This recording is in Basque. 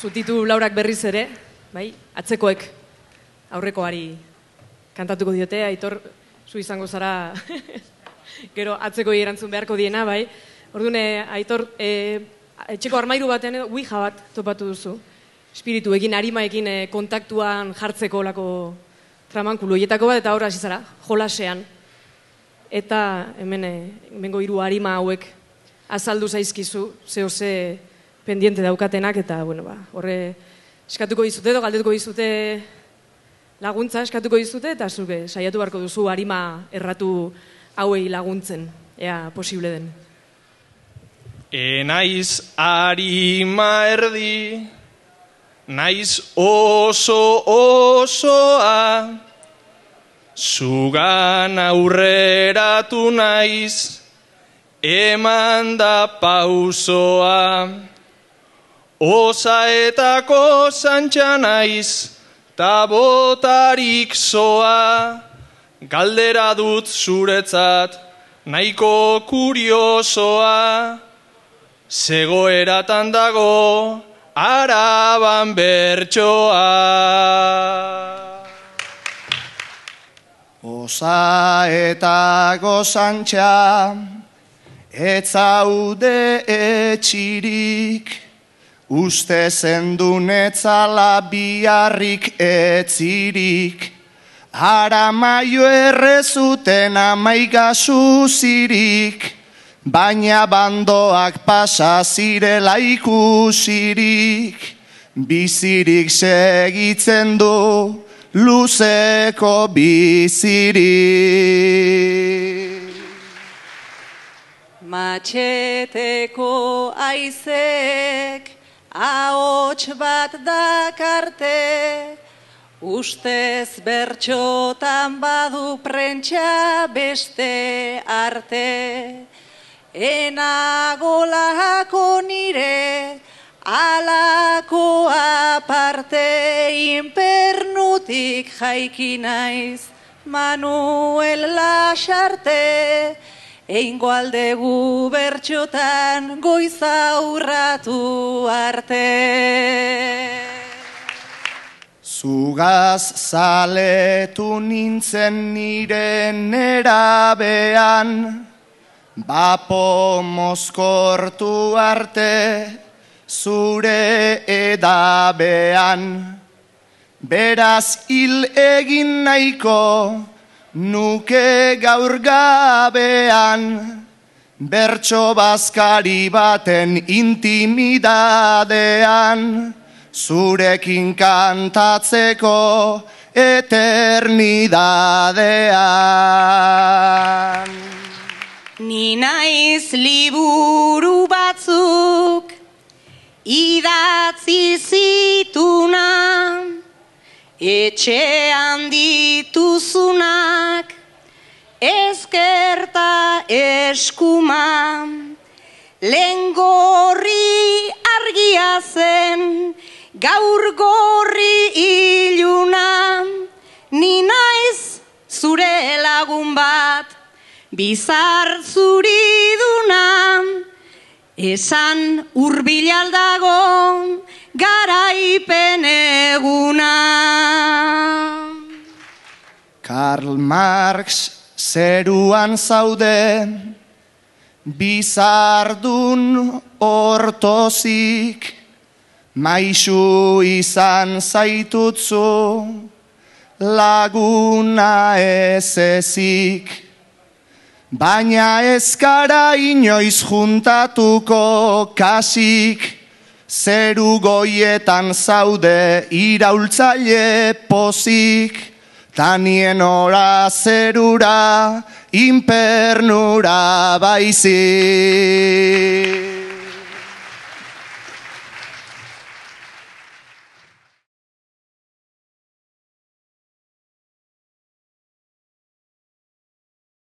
Zutitu Laurak berriz ere, bai, atzekoek aurrekoari kantatuko diote, Aitor, zu izango zara gero atzekoi erantzun beharko diena, bai. Orduan, Aitor, etxeko armairu batean ouija bat topatu duzu. Espirituekin, arimaekin kontaktuan jartzeko olako tramankulu hietako bat, eta horra hasi zara, jolasean. Eta hemengo hiru arima hauek azaldu zaizkizu, zehose pendiente daukatenak, eta, bueno, horre eskatuko dizute edo galdetuko dizute laguntza eskatuko dizute, eta zuke saiatu beharko duzu arima erratu hauei laguntzen, ea posible den. Naiz arima erdi, naiz oso osoa, zugan aurreratu naiz, eman da pausoa, osaetako zantxa naiz, ta botarik zoa, galdera dut zuretzat, nahiko kuriosoa, zegoeratan dago, Araban bertsoa. Osaetako zantxa, etzaude etxirik, uste zendun etzala biharrik etzirik, aramaio errezuten amaigazuzirik, baina bandoak pasa zirela ikusirik, bizirik segitzen du luzeko bizirik. Matxeteko aizek ahots bat dakarte, ustez bertxotan badu prentsa beste arte. Enagolako nire alako aparte, inpernutik jaiki naiz Manuel Lasarte, eingo aldegu bertxotan goiza urratu arte. Zugaz zaletu nintzen nire nerabean, bapo mozkortu arte zure edabean. Beraz hil egin nahiko nuke gaur gabean, bertso bazkari baten intimidadean, zurekin kantatzeko eternidadean. Ni naiz liburu batzuk idatzi zituna, etxean dituzunak ezkerta eskuma, lehen gorri argia zen, gaur gorri iluna, ni naiz zure lagun bat, bizar zuriduna, esan hurbil aldago garaipen eguna. Karl Marx zeruan zaude, bizardun ortozik, maisu izan zaitutzu, laguna ez ezik. Baina ez gara inoiz juntatuko kasik, zeru goietan zaude iraultzaile pozik, tanien ora zerura, inpernura baizik.